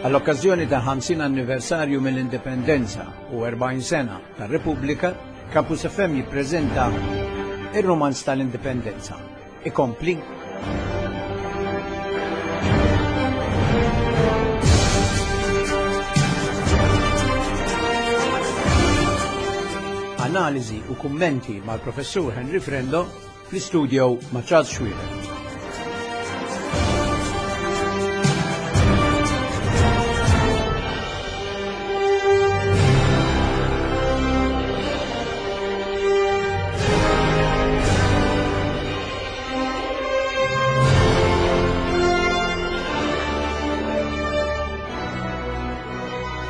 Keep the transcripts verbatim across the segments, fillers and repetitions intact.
Għall-okkażjoni ta' ħamsin anniversarju mill-Indipendenza u erbgħin sena tar-Repubblika, Campus F M jippreżenta ir-Rumanz tal-Indipendenza. Ikompli. Analiżi u kummenti mal-Professur Henry Frendo fl-istudio ma' Charles Xuereb.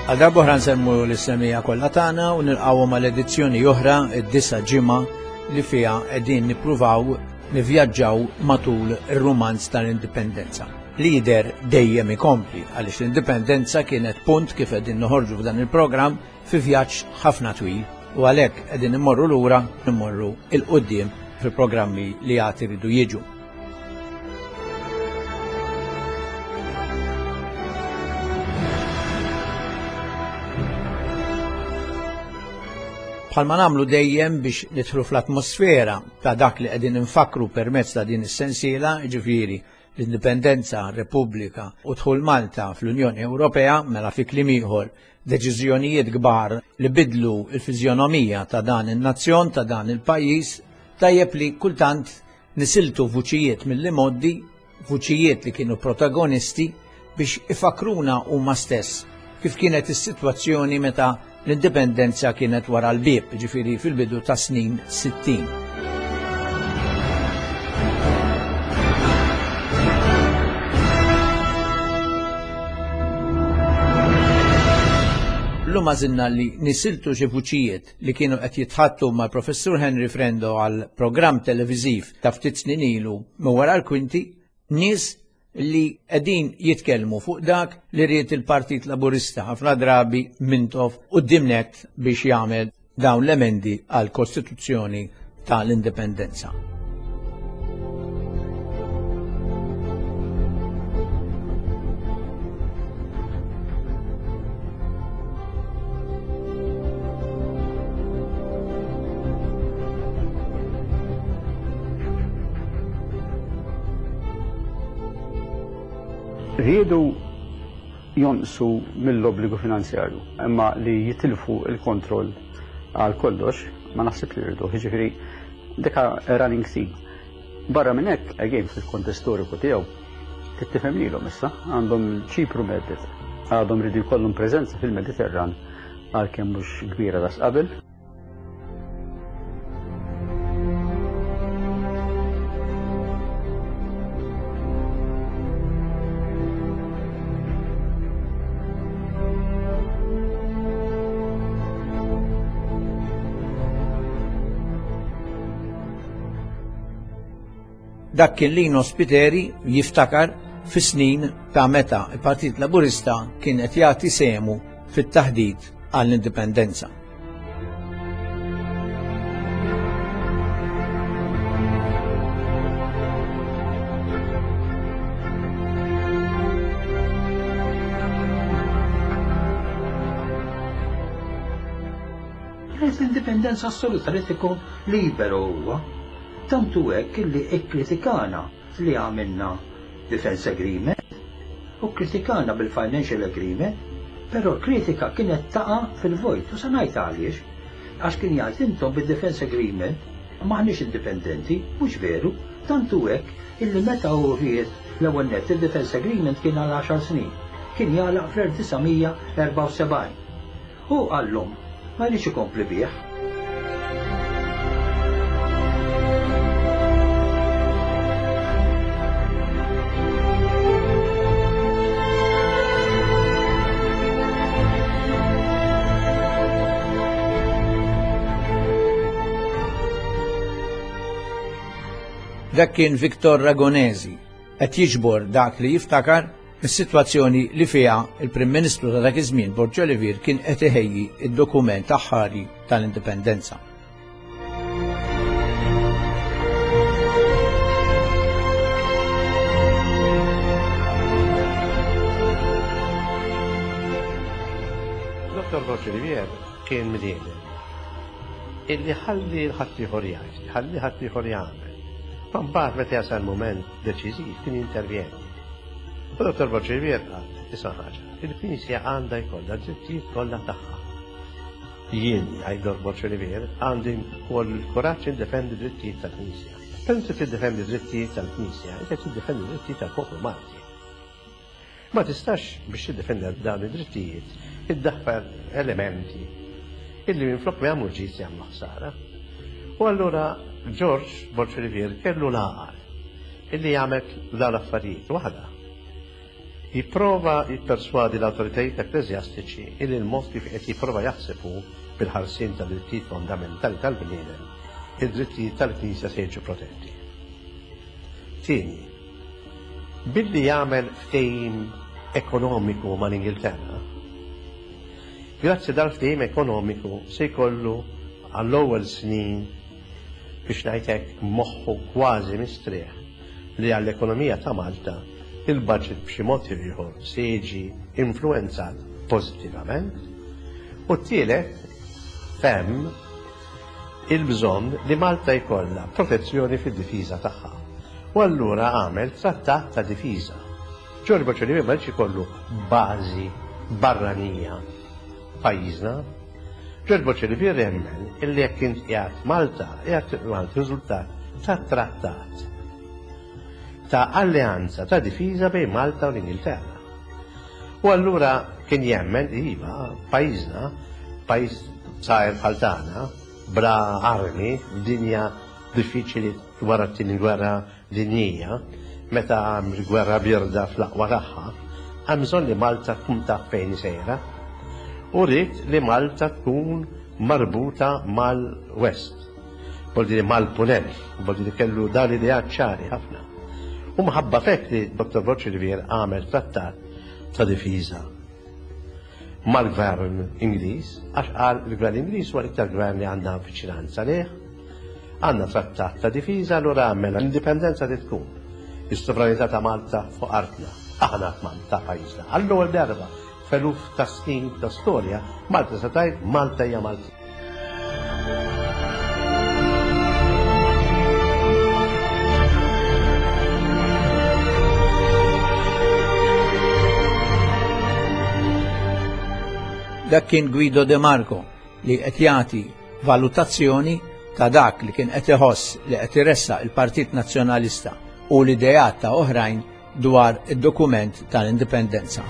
Għal darba oħra nsemmu l-issemija kollha tagħna u nilqgħuhom għal edizzjoni oħra id-disa' ġimgħa li fiha qegħdin nippruvaw nivvjaġġaw matul ir-rumanz tal-Indipendenza. Lider dejjem ikompli għaliex l-Indipendenza kienet punt kif qegħdin noħorġu f'dan il-programm fi vjaġġ ħafna twil u għalhekk qegħdin immorru lura immorru il quddiem fil-programmi li għad iridu jiġu. Bħalma nagħmlu dejjem biex nidħlu fl-atmosfera ta' dak li qegħdin infakru permezz ta' din is-sensiela, jiġifieri l-Indipendenza, Repubblika u dħul Malta fl-Unjoni Ewropea, mela fi kliem ieħor deċiżjonijiet kbar li bidlu l-fiżjonomija ta' dan in-nazzjon, ta' dan il-pajjiż, tajjeb li kultant nisiltu vuċijiet mill-imgħoddi, vuċijiet li kienu protagonisti biex ifakruna huma stess kif kienet is-sitwazzjoni meta l-indipendenza kienet wara l-bieb, ġifieri fil-bidu ta' snin sittin. Illum għażilna li nisiltu xi vuċijiet li kienu qed jitħattu mal-Professur Henry Frendo għal programm televiżiv ta' ftit snin ilu minn wara l-kwinti, nies li qegħdin jitkellmu fuq dak li ried il-Partit Laburista ħafna drabi Mintoff quddiem nett biex jagħmel dawn l-emendi għall Kostituzzjoni tal-Indipendenza. Riedu jonqsu mill-obbligu finanzjarju, imma li jitilfu il-kontroll għal kollox ma naħseb li rridu, jiġifieri dika running theme. Barra minn hekk, again fil-kontest storiku tiegħu, trid tifhem lilhom issa, għandhom Ċipru medded, għadhom rridu jkollhom preżenza fil-Mediterran għalkemm mhux kbira daqs qabel. Dak kien Lino Spiteri jiftakar fis-snin ta' meta il-Partit Laburista kien qed jagħti sehmu fit-taħdid għall-indipendenza. Kienet l-indipendenza assoluta li tkun liberu huwa. Tantu hekk illi ikkritikana li għamilna Defense Agreement u kritikana bil-Financial Agreement, però kritika kienet taqa' fil-vojt u se ngħid għaliex, għax kien jgħid intom bil-Defense Agreement maħniex indipendenti, mhux veru, tantu hekk illi meta hu ried l-ewwel nett il-Defense Agreement kien għal għaxar snin, kien jagħlaq fl-elf disa' mija erbgħa u sebgħin. U qallhom ma jridx ikompli bih. Dak kien Victor Ragonesi qed jiġbor dak li jiftakar is-sitwazzjoni li fiha il-Prim Ministru ta' dak iż-żmien Borg Olivier kien qed iħejji id-dokument aħħari tal-Indipendenza. Dottor Borg Olivier kien bniedem illi ħalli l-ħaddieħor jgħid, ħalli ħaddieħor jagħmel. Ma mbagħad meta jasal mument deċiżiv kien jintervjeni. U Dottor Borg Olivier qal, isma' ħaġa, il-Knisja għandha jkollha d-drittijiet kollha tagħha. Jien, jgħid Dottor Borg Olivier, għandi wkoll il-kuraġġ indefendi drittijiet tal-Knisja. Però inti tiddefendi drittijiet tal-Knisja, inti tiddefendi drittijiet tal-poplu Malti. Ma tistax biex tiddefendi dawn id-drittijiet iddaħħal elementi illi minflok ma jagħmlu ġid jagħmlu ħsara. U allura George Borg Olivier kellu l-għaqal illi jagħmel dawn l-affarijiet waħda. Jipprova jipperswadi l-awtoritajiet ekkleżjastiċi illi l-mod kif qed jipprova jaħseb hu bil-ħarsien ta' drittijiet fondamentali tal-bniedem, id-drittijiet tal-Knisja se jiġu protetti. Tieni, billi jagħmel ftehim ekonomiku mal-Ingilterra, grazzi dal-ftehim ekonomiku se jkollu għall-ewwel snin biex ngħidlek moħħu kważi mistrieħ li għall-ekonomija ta' Malta il-budget b'xi mod ieħor se jiġi influenzat pożittivament. U t-tielet fehem il-bżonn li Malta jkollha protezzjoni fid-difiża tagħha. U allura għamel trattat ta' difiża. George Borg Olivier ma rridx ikollu bażi barranija pajjiżna. George Borg Olivier jemmen illi jekk int qiegħed Malta, qiegħed Malta riżultat ta' trattat ta' alleanza ta' difiża bejn Malta u l-Ingilterra. U allura kien jemmen iva pajjiżna, pajjiż żgħir bħal tagħna, bla armi, dinja diffiċli wara t-tieni gwerra dinjija, meta hemm gwerra birda fl-aqwa tagħha, hemm bżonn li Malta tkun taf fejn sejra. U rrid li Malta tkun marbuta mal-West, vuol mal-Punent, vuol kellu dan l-idea ċari ħafna. U mħabba fek li Dottor Borg Olivier għamel trattat ta' difiża mal-gvern Ingliż, għax qal il-gvern Ingliż huwa l-iktar gvern li għandna viċinanza lih, għandna trattat ta' difiża, allura għamel l-indipendenza li tkun is-sovranità ta' Malta fuq artna, aħna ta' pajjiżna. Għall-ewwel darba f'eluf ta' snin ta' storja, Malta se tgħid Malta hija Malta. Dak kien Guido De Marco li qed jagħti valutazzjoni ta' dak li kien qed iħoss li qed iressaq il-Partit Nazzjonalista u l-ideat ta' oħrajn dwar id-dokument tal-indipendenza.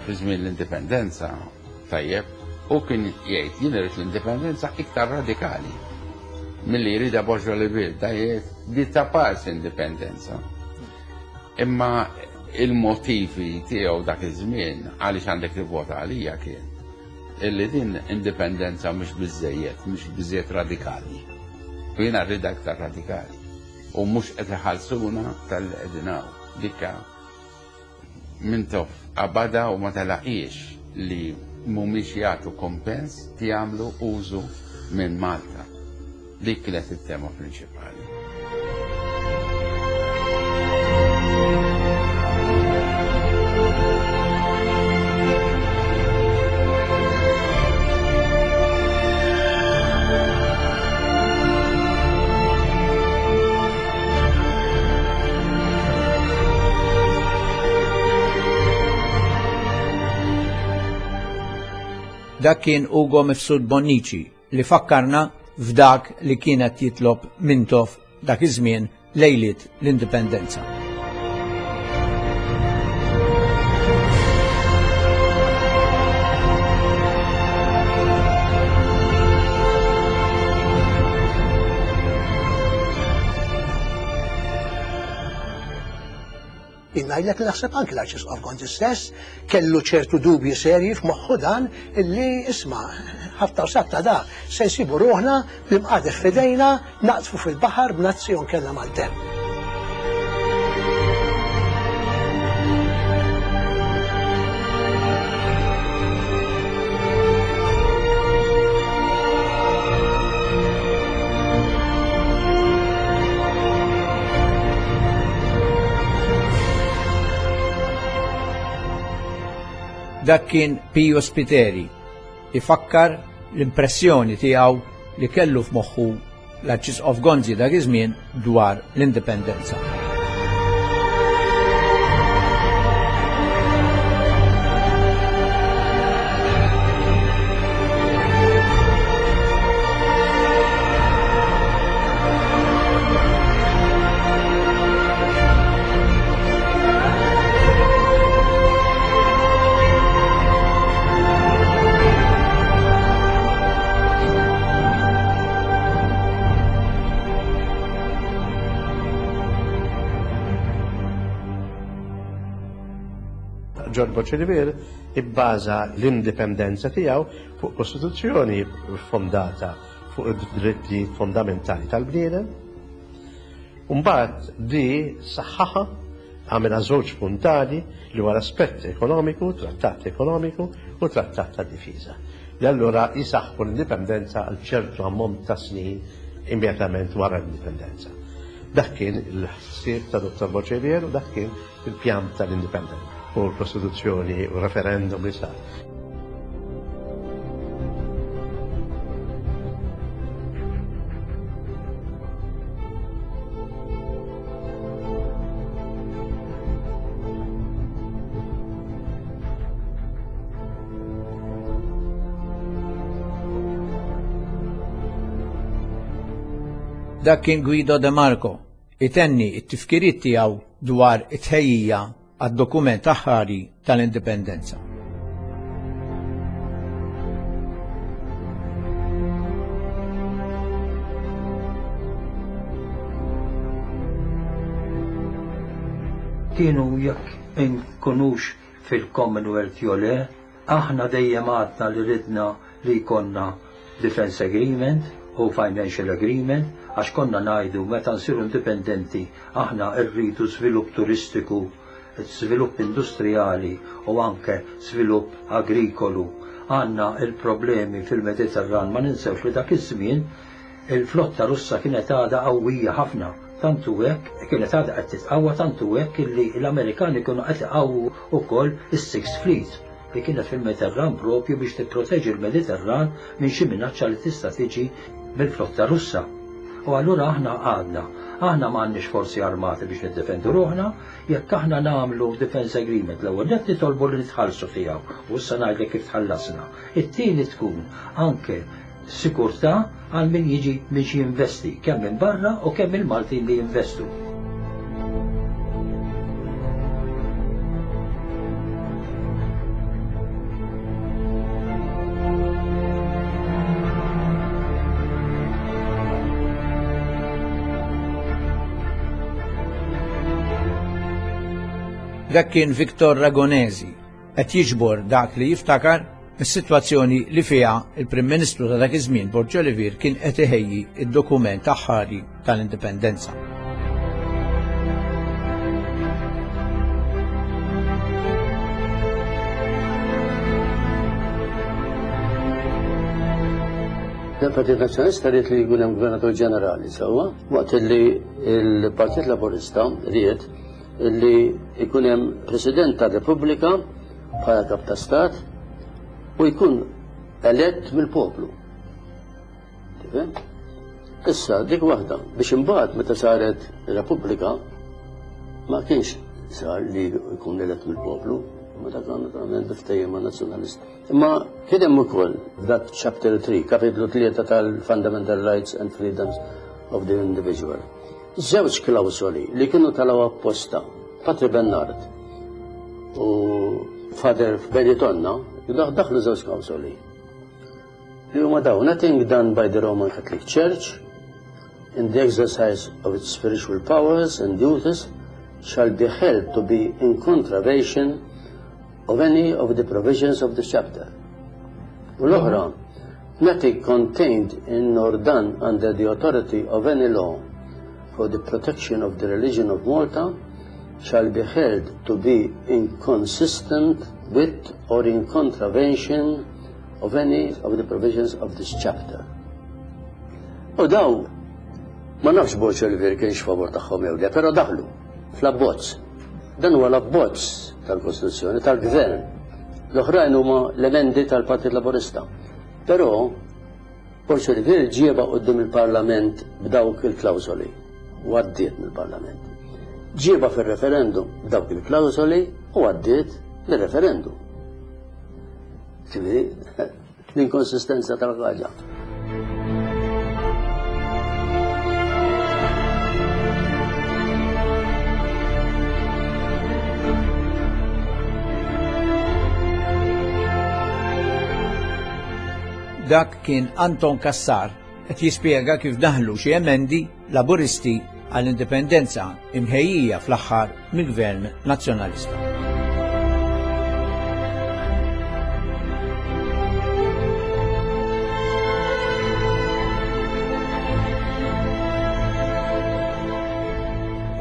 Fi żmien l-indipendenza, tajjeb, u kien jgħid jien irid l-indipendenza iktar radikali milli jridha Borg Olivier, da jgħid di ta' pars indipendenza. Imma il-motivi tiegħu dak iż-żmien għaliex għandek tivvota għalija kien illi din indipendenza mhux biżejjed, mhux biżejjed radikali. U jiena rridha iktar radikali. U mhux qed iħallsuna tal-li qegħdin hawn. Dikka Mintoff qabadha u ma telaqiex li mhumiex jagħtu kompens ti jagħmlu użu minn Malta. Dik kienet it-tema prinċipali. Dak kien Ugo Mifsud Bonnici li fakkarna f'dak li kienet jitlob Mintoff dak iż-żmien lejliet l-indipendenza. Ngħidlek li naħseb anki l-Arċisqof Gonzi stess kellu ċertu dubji serji f'moħħu dan illi isma' ħafna u satta da se nsibu ruħna bl-imqadef f'idejna naqtfu fil-baħar b'nazzjon kellha maltemp. Dak kien Pio Spiteri ifakkar l-impressjoni tiegħu li kellu f'moħħu l-Arċisqof Gonzi dak iż-żmien dwar l-indipendenza. Ġorġ Borg Olivier ibbaża l-indipendenza tiegħu fuq kostituzzjoni fondata fuq id-dritti fondamentali tal-bniedem. Mbagħad di saħħaħa għamilha żewġ puntali li huwa l-aspett ekonomiku, trattat ekonomiku u trattat ta' difiża. Li allura jisaħħu l-indipendenza għal ċertu ammont ta' snin immedjatament wara l-indipendenza. Dak kien il-ħsieb ta' Dottor Borg Olivier u dak kien il-pjan tal-indipendenza u l-Kostituzzjoni u referendum li sar. Dak kien Guido De Marco itenni it-tifkiriet tiegħu dwar it-tħejjija għad-dokument aħħari tal-indipendenza. Kienu jekk inkunux fil-Commonwealth jew le, aħna dejjem għadna li ridna li jkollna Defense Agreement u Financial Agreement, għax konna ngħidu meta nsiru indipendenti aħna rridu żvilupp turistiku, żvilupp industrijali u anke żvilupp agrikolu. Għandna il-problemi fil-Mediterran, ma ninsewx li dak iż-żmien il-flotta Russa kienet għadha qawwija ħafna, tantu hekk kienet għadha qed titqawwa, tantu hekk illi l-Amerikani kienu qed iqawwu wkoll is-Sixth Fleet li kienet fil-Mediterran propju biex tipproteġi l-Mediterran minn xi minaċċa li tista' tiġi mill-flotta Russa. U allura aħna għadna, aħna m'għandniex forzi armati biex niddefendu ruħna, jekk aħna nagħmlu defense agreement l-ewwel qed nitolbu li nitħallsu tiegħu, u issa ngħidlek kif tħallasna. It-tieni tkun anke sikurtà għal min jiġi biex jinvesti, kemm minn barra u kemm il-Maltin li jinvestu. Dak kien Victor Ragonesi qed jiġbor dak li jiftakar mis-sitwazzjoni li fiha il-Prim Ministru ta' dak iż-żmien Borg Olivier kien qed iħejji id-dokument aħħari tal-indipendenza. Il-Partit Nazzjonalista ried li jkun hemm Gvernatur Ġenerali sewwa, waqt li l-Partit Laburista ried li jkun hemm President tar-Repubblika bħala kap ta' Stat u jkun elett mill-poplu. Tifhem? Issa dik waħda biex imbagħad meta saret Repubblika ma kienx sar li jkun elett mill-poplu, ma dak naturalment biftejjem ma' nazzjonalist. Imma kien hemm ukoll f'dak chapter three, kapitlu tlieta tal-Fundamental Rights and Freedoms of the Individual. Żewġ klawsoli li kienu talaw apposta, Patri Bernard u Father Benitonna, daħlu żewġ klawsoli. Li huma dawn, nothing done by the Roman Catholic Church in the exercise of its spiritual powers and duties shall be held to be in contravention of any of the provisions of this chapter. U l-oħra, nothing contained in nor done under the authority of any law for the protection of the religion of Malta shall be held to be inconsistent with or in contravention of any of the provisions of this chapter. U daw, ma nafx Borg Olivier kienx favor tagħhom jew le, però daħlu fl-abbozz. Dan huwa l-abbozz tal-Kostituzzjoni, tal-Gvern. L-oħrajn huma l-emendi tal-Partit Laburista. Però Borg Olivier ġiebha quddiem il-Parlament b'dawk il-klawżoli u għaddiet mill-Parlament. Ġiebha fil-referendum b'dawk il-klawżoli u għaddiet mill-referendum. Ġifieri, l-inkonsistenza tal-ħaġa. Dak kien Anton Cassar qed jispjega kif daħlu xi emendi Laburisti għall-indipendenza imħejjija fl-aħħar mill-Gvern Nazzjonalista.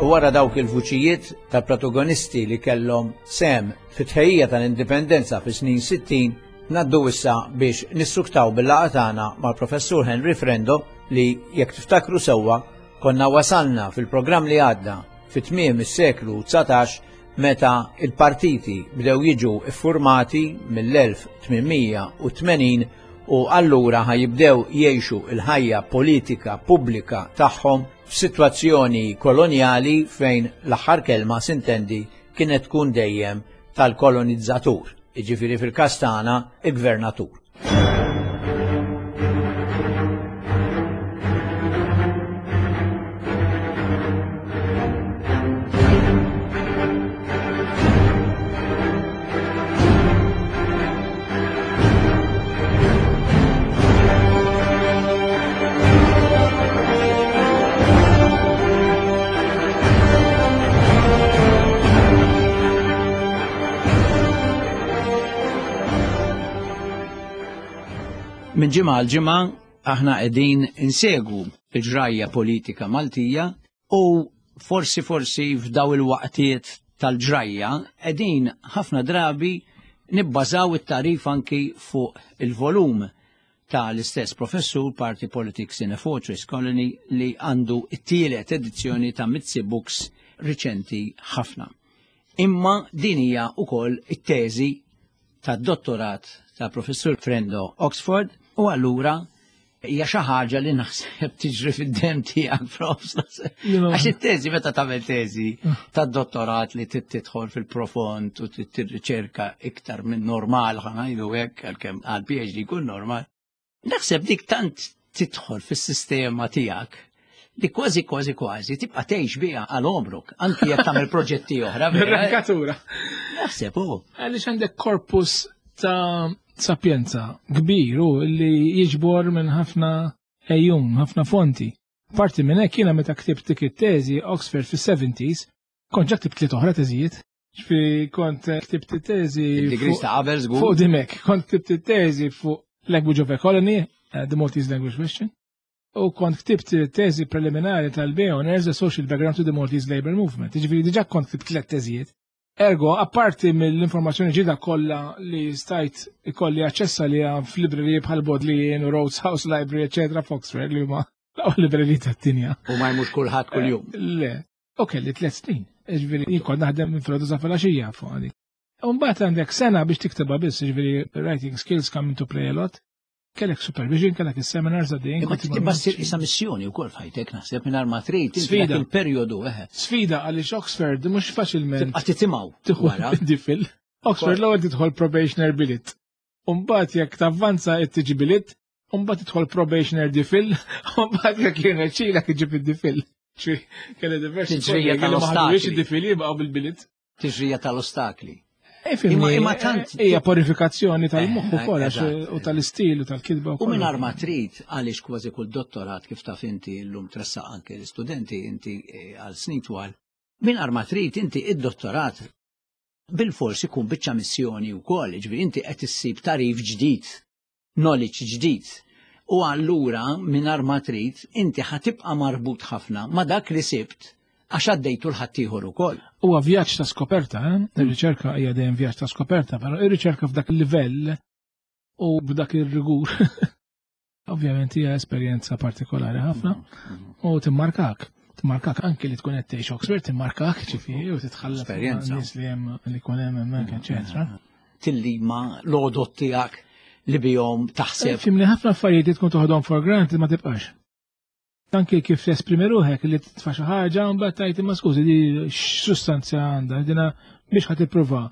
U wara dawk il-vuċijiet ta' protagonisti li kellhom sem fit-tħejjija tal-indipendenza fis-snin sittin, naddu issa biex nissuktaw bil-laqgħa tagħna mal-Professur Henry Frendo li jekk tiftakru sewwa konna wasalna fil-programm li għadda fit-tmiem is-seklu dsatax meta il-partiti bdew jiġu iffurmati mill-elf tmien u tmenin u allura ħajibdew jgħixu il-ħajja politika pubblika tagħhom f'sitwazzjoni kolonjali fejn l-aħħar kelma sintendi kienet tkun dejjem tal-kolonizzatur, jiġifieri fil-każ tagħna il-gvernatur. Minn ġimgħa għal ġimgħa aħna qegħdin insegwu il-ġrajja politika Maltija u forsi forsi f'daw il-waqtiet tal-ġrajja qegħdin ħafna drabi nibbażaw it-tarif anki fuq il-volum tal-istess professur Party Politics in a Fortress Colony li għandu it-tielet edizzjoni ta' Mizzi Books riċenti ħafna. Imma din hija wkoll it-teżi tad-dottorat ta' professur Frendo Oxford u allura hija xi ħaġa li naħseb tiġri fid-dem tiegħek prof. Għax it-teżi meta tagħmel teżi tad-dottorat li tidħol fil-profond u tirriċerka iktar minn normal ħa ngħidu hekk għalkemm għal PhD jkun normal. Naħseb dik tant tidħol fis-sistema tiegħek li kważi kważi kważi tibqa' tgħix biha għal għomrok, anki jekk tagħmel proġetti oħra. Rankatura. Naħseb hu. Għaliex għandek korpus ta' sapienza kbir u li jiġbor minn ħafna ejjun, ħafna fonti. Parti minn hekk jiena meta ktibt dik it-teżi Oxford fis-seventies, kont ġa ktibt tliet oħra teżijiet. Ġifieri kont ktibt it-teżi Id-degrees ta' qabel żgur. Fuq dimek, kont ktibt it-teżi fuq Language of a Colony, the Maltese Language Question. U kont ktibt teżi preliminari tal-B A Honors, The Social Background to the Maltese Labour Movement. Ġifieri diġà kont ktibt tliet teżijiet. Ergo, apparti mill-informazzjoni ġdida kollha li stajt ikolli aċċess għaliha f'libreriji bħal Bodleian u Rhodes House Library, eċetera, f'Oxford, li huma l-aqwa libreriji tad-dinja. U ma jmux kulħadd kuljum. Le, u kelli tliet snin. Ġifieri jien kont naħdem minn filgħodu sa filgħaxija fuq għadi. U mbagħad għandek sena biex tiktibha biss, ġifieri writing skills come into play a lot. Kellek supervision, kellek is-seminars għaddejjin. Imma tibqa' ssir isa missjoni wkoll f'ħajtek naħseb mingħajr ma trid, inti Sfida. dak il-perjodu, eħe. Sfida għaliex Oxford mhux faċilment Tibqa' titimgħu tieħu wara. difil. Oxford l-ewwel tidħol probationer bilit. U mbagħad jekk tavvanza qed tiġi bilit, u mbagħad tidħol probationer difil, u mbagħad jekk jirnexxilek iġib id-difil. Ċi, kelli diversi Tiġrija kollegi li ma tal-ostakli. ħadux id-difil jibqgħu bil-bilit. Tiġrija tal-ostakli. Eh, fimni, Imma, imma tant hija purifikazzjoni tal-moħħ Eh, ukoll, għax eżatt, u tal-istil u tal-kitba U wkoll. mingħajr ma trid għaliex kważi kull dottorat kif taf inti llum tressaq anke l-istudenti inti, eh, għal snin twal, mingħajr ma trid inti id-dottorat bil-fors ikun biċċa missjoni wkoll, jiġifieri inti qed issib tarif ġdid, knowledge ġdid. U allura mingħajr ma trid inti ħatibqa' marbut ħafna ma' dak li sibt għax għaddejtu l-ħaddieħor ukoll. Huwa vjaġġ ta' skoperta, eh? Ir-riċerka hija dejjem vjaġġ ta' skoperta, però ir-riċerka f'dak il-livell u b'dak ir-rigur ovvjament hija esperjenza partikolari ħafna u timmarkak. Timmarkak anki li tkun qed tgħix Oxford, timmarkak ġifieri u titħallaf Esperjenza. nies li hemm li jkun hemm hemmhekk, eċetera. tillima l-għodot tiegħek li bihom taħseb. Fimni ħafna affarijiet li tkun toħodhom for granted ma tibqax. Anke kif tesprimi ruħek li titfa' xi ħaġa u mbagħad tgħid imma skużi di x'sustanza għandha, dina biex ħa tipprova.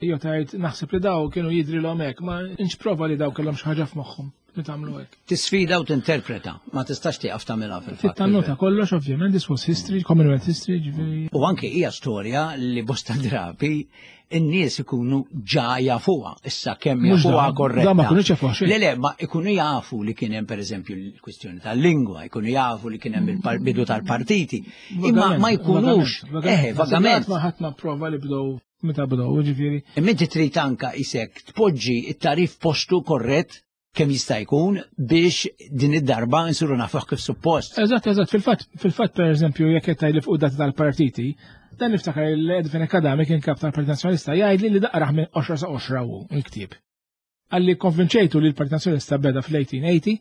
Jew tgħid naħseb li daw kienu jidrilhom hekk, ma nx prova li daw kellhom xi ħaġa f'moħħhom li tagħmlu hekk. Tisfida u tinterpreta, ma tistax tieqaf tagħmilha fil-fatt. Tittannota kollox ovvjament, this was history, Commonwealth history, ġifieri. U anke hija storja li bosta drabi in-nies ikunu ġa jafuha. Issa kemm Mhux jafuha da, korretta. da ma kinux jafuha xejn. Le le, ma ikunu jafu li kien hemm pereżempju l-kwistjoni tal-lingwa, ikunu jafu li kien hemm il-bidu tal-partiti. Imma ma jkunux, eh, vagament. Ma ħadd ma prova li bdew meta bdew, ġifieri. Imma inti trid anka isek tpoġġi it-tarif postu korrett kemm jista' jkun biex din id-darba nsiru nafuh kif suppost. Eżatt, eżatt, fil-fatt, fil-fatt per eżempju, jekk qed tgħidli fuq data tal-partiti, dan niftakar l-Edwin Adami kien kap tal-Partit Nazzjonalista jgħidli li daqraħ minn għoxra sa għoxra hu il-ktieb. Għalli konvinċejtu li l-Partit Nazzjonalista beda fl-eighteen eighty,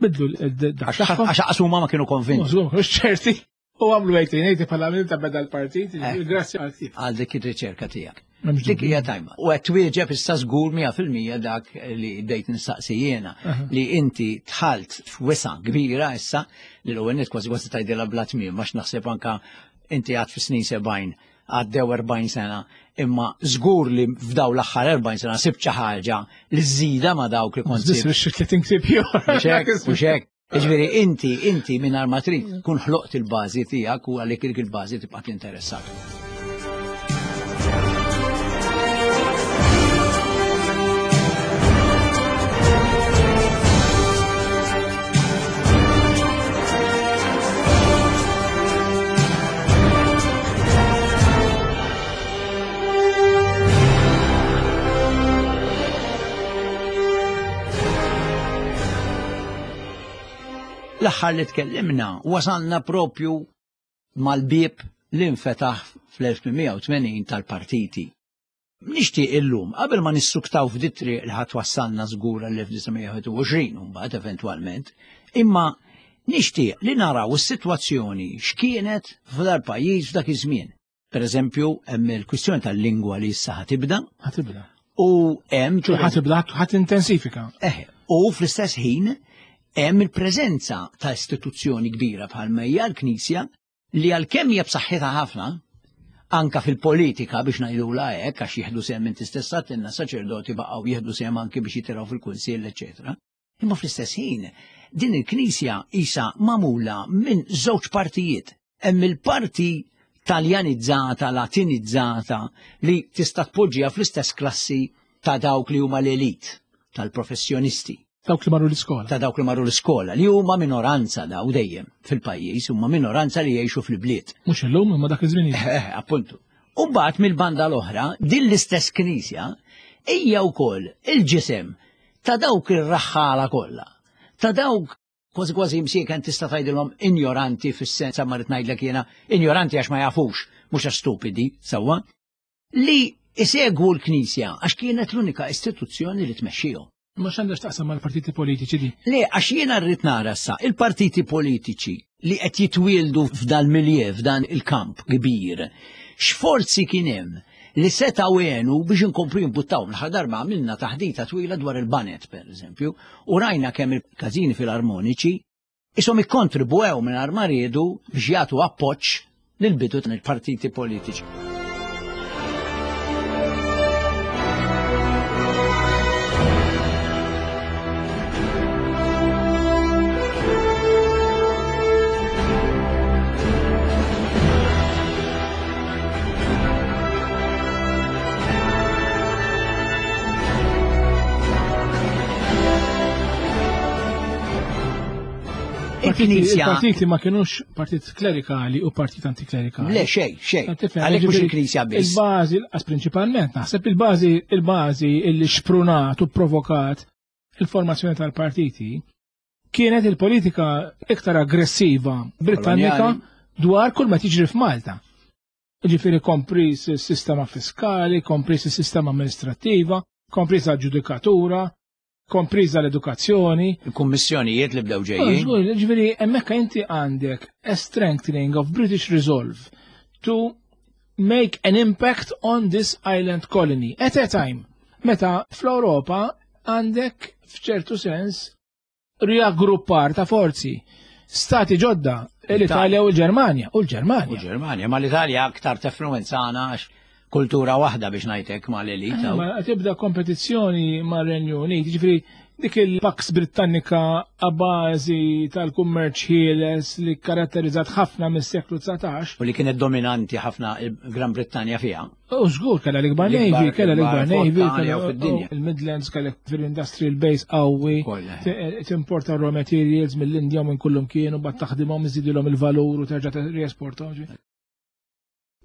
bidlu dak Għax għax huma ma kienu konvinti. Mhux ċerti. U għamlu eighteen eighty bħala minn ta' beda l-partit, Eh. grazzi għal-ktieb. Għal dik ir-riċerka tiegħek. M'hemmx Dik dubju. hija tajma. U qed twieġeb issa żgur mija fil-mija dak li bdejt nistaqsi jiena Aha. li inti dħalt f'wisa kbira issa li l-ewwel nett kważi kważi tgħidilha bla tmiem għax naħseb anka inti għad fi snin sebgħin, għaddew erbgħin sena, imma żgur li f'daw l-aħħar erbgħin sena sibt xi ħaġa li żżida ma dawk li kont Żis sibt. biex tletin ktieb ieħor. Mhux hekk, mhux hekk. Jiġifieri inti inti mingħajr ma trid tkun ħloqt il-bażi tiegħek u għalhekk dik il-bażi tibqa' tinteressak. L-aħħar li tkellimna wasalna propju mal-bieb li nfetaħ fl-elf tmien mija u tmenin tal-partiti. Nixtieq illum, qabel ma nissuktaw f'dit triq li ħadd wassalna żgur għall-elf disa' mija u wieħed u għoxrin mbagħad eventwalment, imma nixtieq li naraw is-sitwazzjoni x'kienet f'dar pajjiż f'dak iż-żmien. Per eżempju, hemm il-kwistjoni tal-lingwa li issa ħatibda Ħatibda. u hemm Ħatibda, ħat intensifika. Eh, u fl-istess ħin hemm il-preżenza ta' istituzzjoni kbira bħalma hija l-Knisja li għalkemm hija b'saħħitha ħafna anka fil-politika biex ngħidulha hekk għax jieħdu sehem, inti stess għedtilna, saċerdoti baqgħu jieħdu sehem anke biex jitilgħu fil-kunsill, eċetera. Imma fl-istess ħin din il-Knisja isa magħmula minn żewġ partijiet. Hemm il-parti taljanizzata, latinizzata li tista' tpoġġiha fl-istess klassi ta' dawk li huma l-elit tal-professjonisti. Dawk li marru l-iskola. Ta' dawk li marru l-iskola, li huma minoranza daw dejjem fil-pajjiż, huma minoranza li jgħixu fil-bliet. Mhux illum imma dak iż-żmien. Eh, appuntu. U mbagħad mill-banda l-oħra, din l-istess knisja hija wkoll il-ġisem ta' dawk ir-raħħala kollha. Ta' dawk kważi kważi msieken tista' tgħidilhom injoranti fis-sens ma rrid ngħidlek jiena injoranti għax ma jafux, mhux għax stupidi, sewwa, li isegwu l-Knisja għax kienet l-unika istituzzjoni li tmexxihom. Ma x'għandha x'taqsam mal-partiti politiċi di? Le, għax jiena rrid nara sa il-partiti politiċi li qed jitwieldu f'dal milieu, f'dan il-kamp kbir. X'forzi kien hemm li setgħu għenu biex inkomplu jimbuttaw? L-aħħar darba għamilna taħdita twila dwar il-baned, per eżempju, u rajna kemm il-każini filarmoniċi isom ikkontribwew minn ma riedu biex jagħtu appoġġ lil bidu tal-partiti politiċi. Il-Knisja Il-partiti ma kienux partit klerikali u partit antiklerikali. Le, xej, xej. Tifhem, Għalhekk mhux ġifieri, il-Knisja biss. Il-bażi, għas prinċipalment, naħseb il-bażi, il-bażi illi xprunat u provokat il-formazzjoni tal-partiti kienet il-politika iktar aggressiva Britannika Koloniali. dwar kull ma tiġri f'Malta. Ġifieri kompris il-sistema fiskali, kompris il-sistema amministrativa, kompris la ġudikatura, kompriża l-edukazzjoni. Il-kummissjonijiet li bdew ġejjin. Żgur, ġifieri hemmhekk inti għandek a strengthening of British resolve to make an impact on this island colony at a time Meta fl-Ewropa għandek f'ċertu sens riaggruppar ta' forzi. Stati ġodda, l-Italja u l-Ġermanja. U l-Ġermanja. U l-Ġermanja, ma l-Italja aktar tefluwenzana għax kultura waħda biex ngħidlek mal-elita. Ma tibda kompetizzjoni mar-Renju Unit, jiġifieri dik il-Pax Britannica a bażi tal-kummerċ ħieles li karatterizzat ħafna mis-seklu dsatax. U li kienet dominanti ħafna il-Gran Brittanja fiha. U żgur kellha l-ikbar Navy, kellha l-ikbar Navy, fid-dinja. Il-Midlands kellha fil-industrial base qawwi, timporta raw materials mill-Indja u minn kullum kienu, bat taħdimhom, iżidilhom il-valur u terġa' riesportahom.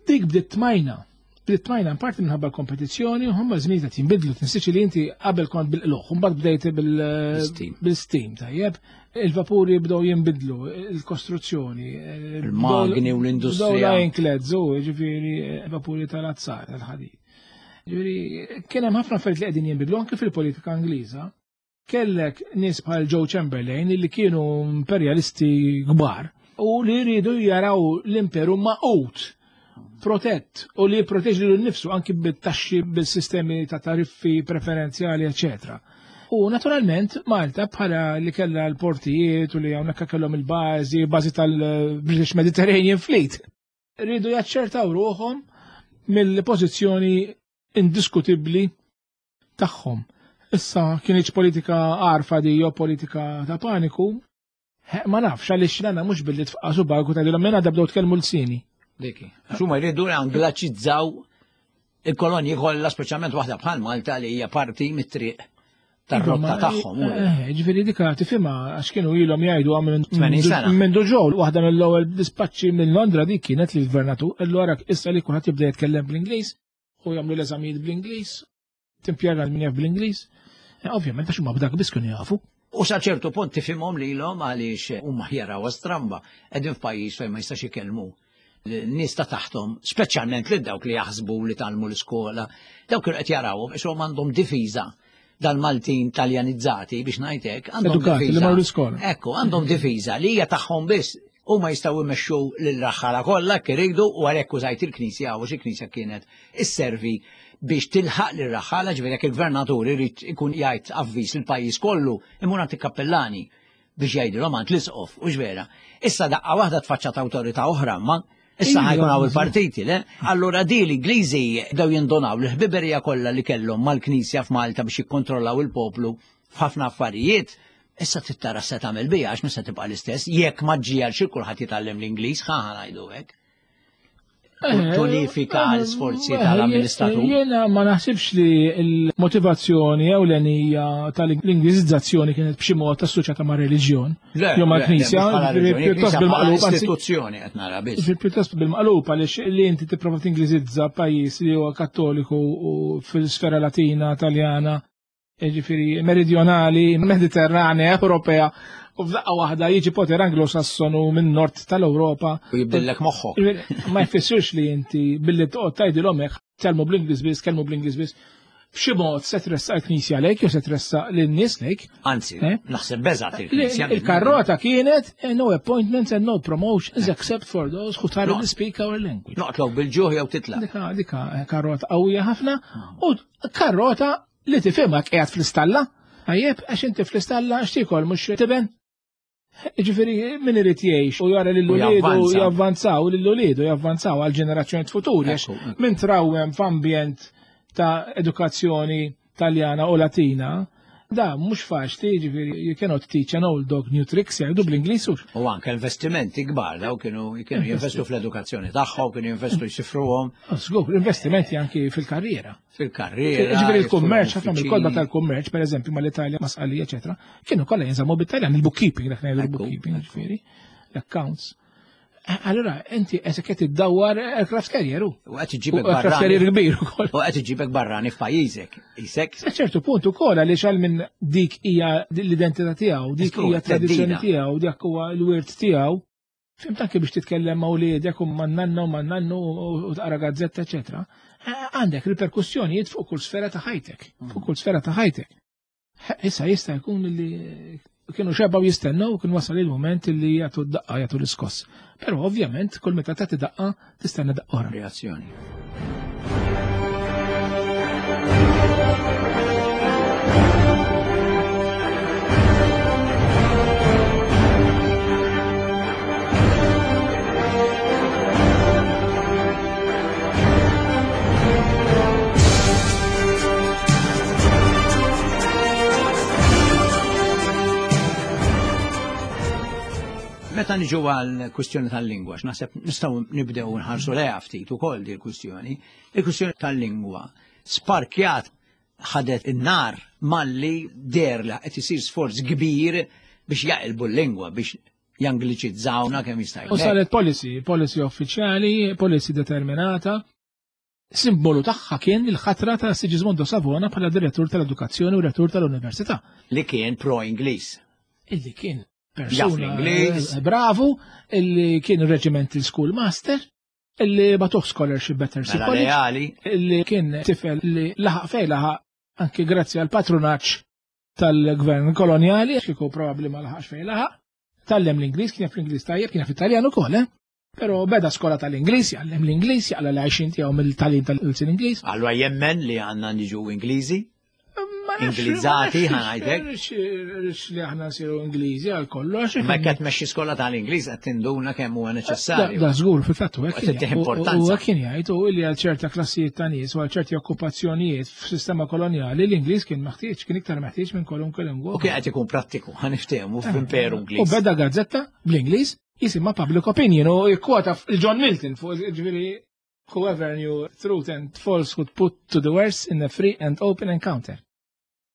Dik bdiet tmajna. Bdiet tmajna parti minħabba l-kompetizzjoni, u huma żmien qed jinbidlu, tinsiex li inti qabel kont bil-qluħ, u mbagħad bdejt bil-steam, tajjeb. Il-vapuri bdew jinbidlu, il-kostruzzjoni, il-magni u l-industrija. Bdew l-ironclads, u ġifieri vapuri tal-azzar, tal-ħadid. Ġifieri kien hemm ħafna affarijiet li qegħdin jinbidlu anke fil-politika Ingliża. Kellek nies bħal Joe Chamberlain li kienu imperjalisti kbar u li jridu jaraw l-imperu maqut, protett u li jipproteġi lilu nnifsu anki bit-taxxi, bil-sistemi ta' tariffi preferenzjali, eċetera. U naturalment Malta bħala li kellha l-portijiet u li hawnhekk kellhom il-bażi, bażi tal-British Mediterranean Fleet, rridu jaċċertaw ruħhom mill-pożizzjoni indiskutibbli tagħhom. Issa kienx politika għarfa di jew politika ta' paniku, ma nafx għaliex nagħna mhux billi tfaqasu barku tgħidilhom minn għadha bdew tkellmu l-sini. Diki. Xuma jridu anglaċizzaw il-kolonji kollha, speċjalment waħda bħal Malta li hija parti mit-triq tar-rotta tagħhom. Ġifieri dika tifhimha għax kienu ilhom jgħidu tmenin sena. Minn ġew waħda mill-ewwel dispaċċi minn Londra dik kienet li l-gvernatur allura issa li kulħadd jibda jitkellem bl-Ingliż u jagħmlu l-eżamijiet bl-Ingliż, timpjega min jaf bl-Ingliż. Ovvjament għax huma b'dak biss kienu jafu. U sa ċertu punt tifhimhom lilhom għaliex huma jaraw stramba qegħdin f'pajjiż fejn ma jistax ikellmu n-nies ta' taħtom, speċjalment lil dawk li jaħsbu li talmu l-iskola, dawk kienu qed jarawhom ishom għandhom difiża dal-Maltin taljanizzati biex ngħidlek, għandhom difiża. Ekku, għandhom difiża li hija tagħhom biss u ma jistgħu jmexxu lil-raħħala kollha kif iridu u għalhekk użajt il-Knisja għax il-Knisja kienet isservi biex tilħaq lir-raħħala, ġifieri jekk il-gvernatur irid ikun jgħid avviż lill-pajjiż kollu, imur għand il-kappellani biex jgħidilhom għand l-isqof, u vera. Issa daqqa waħda tfaċċat awtorità oħra, ma issa ħajkun hawn il-partiti, le? Allura di l-Ingliżi bdew jindonaw l-ħbiberija kollha li kellhom mal-Knisja f'Malta biex jikkontrollaw il-poplu f'ħafna affarijiet. Issa tittara se tagħmel bija għax mhux se tibqa' l-istess, jekk ma ġġiegħel xi kulħadd jitgħallem l-Ingliż, ħa ngħidu hekk. Tunifika l-sforzi tal-amministratur. Jiena ma naħsibx li l-motivazzjoni ewlenija tal-Ingliżizzazzjoni kienet b'xi mod assoċjata ma' reliġjon. Jew ma' Knisja, pjuttost bil-maqlub, anzi, istituzzjoni qed nara biss. Pjuttost bil-maqlub għaliex li inti tipprova tingliżizza pajjiż li huwa Kattoliku u fil-sfera Latina, Taljana, ġifieri meridjonali, Mediterranea, Ewropea, u f'daqqa waħda jiġi poter Anglo-Sassonu minn nord tal-Ewropa. U jibdillek moħħok. Ma jfissirx li inti billi toqgħod tgħidilhom hekk, tkellmu bl-Ingliż biss, tkellmu bl-Ingliż biss. B'xi mod se tressaq il-Knisja lejk jew se tressaq lin-nies lejk. Anzi, naħseb beżgħet il-Knisja. Il-karrota kienet no appointments and no promotions except for those who thoroughly speak our language. Noqtlok bil-ġuħ jew titla'. Dika, dika karrota qawwija ħafna u karrota li tifhimha qiegħed fl-istalla. Tajjeb, għax inti fl-istalla x'tiekol mhux tiben. Ġifieri min irid jgħix u jara lil uliedu javvanzaw, lil uliedu javvanzaw għal ġenerazzjonijiet futuri, għax min trawwem f'ambjent ta' edukazzjoni Taljana u Latina, da mhux faċli, ġifieri you cannot teach an old dog new tricks, jgħidu bl-Ingliż hux. U anke investimenti kbar, daw kienu kienu jinvestu fl-edukazzjoni tagħhom, kienu jinvestu jsifruhom. Żgur, investimenti anki fil-karriera. Fil-karriera. Ġifieri il-kummerċ, ħafna mill-kodba tal-kummerċ, pereżempju mal-Italja, ma' Sqalija, eċetera, kienu kollha jinżammu bit-Taljan, il-bookkeeping, dak ngħidu il-bookkeeping, ġifieri, l-accounts. Allora, inti qed qed iddawwar aircraft carrier u. U qed iġibek Aircraft barrani. carrier kbir ukoll. U qed iġibek barrani f'pajjiżek. Isek. Sa ċertu punt ukoll għaliex għal minn dik hija l-identità tiegħu, dik Eskru, hija tradizzjoni teddida. tiegħu, dik huwa l-wirt tiegħu. Fimt anke biex titkellem ma' wliedek u ma' nanna u ma' nannu u taqra gazzetta, eċetera. Għandek riperkussjonijiet fuq kull sfera ta' ħajtek, fuq kull sfera ta' ħajtek. Issa jista' jkun li kienu xebgħu jistennew u kien wasal il-moment li jagħtu d-daqqa, jagħtu l-iskoss. Però ovvjament kull meta tagħti daqqa tistenna daqqa oħra. Reazzjoni. Meta niġu għal kwistjoni tal-lingwa, x'naħseb nistgħu nibdew nħarsu lejha ftit ukoll di l-kwistjoni. Il-kwistjoni tal-lingwa sparkjat, ħadet in-nar malli deher li qed isir sforz kbir biex jaqilbu l-lingwa, biex jangliċizzawna kemm jista' U saret policy, policy uffiċjali, policy determinata. Simbolu tagħha kien il-ħatra ta' Sigismondo Savona bħala direttur tal-edukazzjoni u rettur tal-università. Li kien pro-Ingliż. Illi kien Jaf persuna l-Ingliż. eh, bravu, illi kien regimental schoolmaster, illi bagħtuh scholarship Battersea Mela College, leali. illi kien tifel li laħaq fej laħaq anki grazzi għal patronaġġ tal-gvern koloniali, kieku probabbli ma laħaqx fej laħaq, tgħallem l-Ingliż, kien jaf l-Ingliż tajjeb, kien jaf Italjan ukoll, eh? Però beda skola tal-Ingliż, jgħallem l-Ingliż, jaqla l-għajxin tiegħu mill-tagħlim tal-ilsien Ingliż. Allura jemmen li għandna niġu Ingliżi? Ma nafx- Ingliżati, ma ħa ngħidlek. nafx rridx li aħna nsiru Ingliżi għal kollox. Ma qed tmexxi skola tal-Ingliż qed tinduna kemm huwa neċessarju. Da żgur fil-fatt u hekk U kien tittieħ jgħid. U- importanza. U hekk kien jgħid u li għal ċerta klassijiet ta' nies u għal ċerti okkupazzjonijiet f'sistema kolonjali l-Ingliż kien meħtieġ, kien iktar meħtieġ minn kwalunkwe lingwa. U kien qed ikun prattiku, ħa niftehmu f'imperu U Ingliż. beda gazzetta bl-Ingliż jisimha Public Opinion u jikkwota John Milton fuq ġifieri whoever knew truth and falsehood put to the worse in a free and open encounter.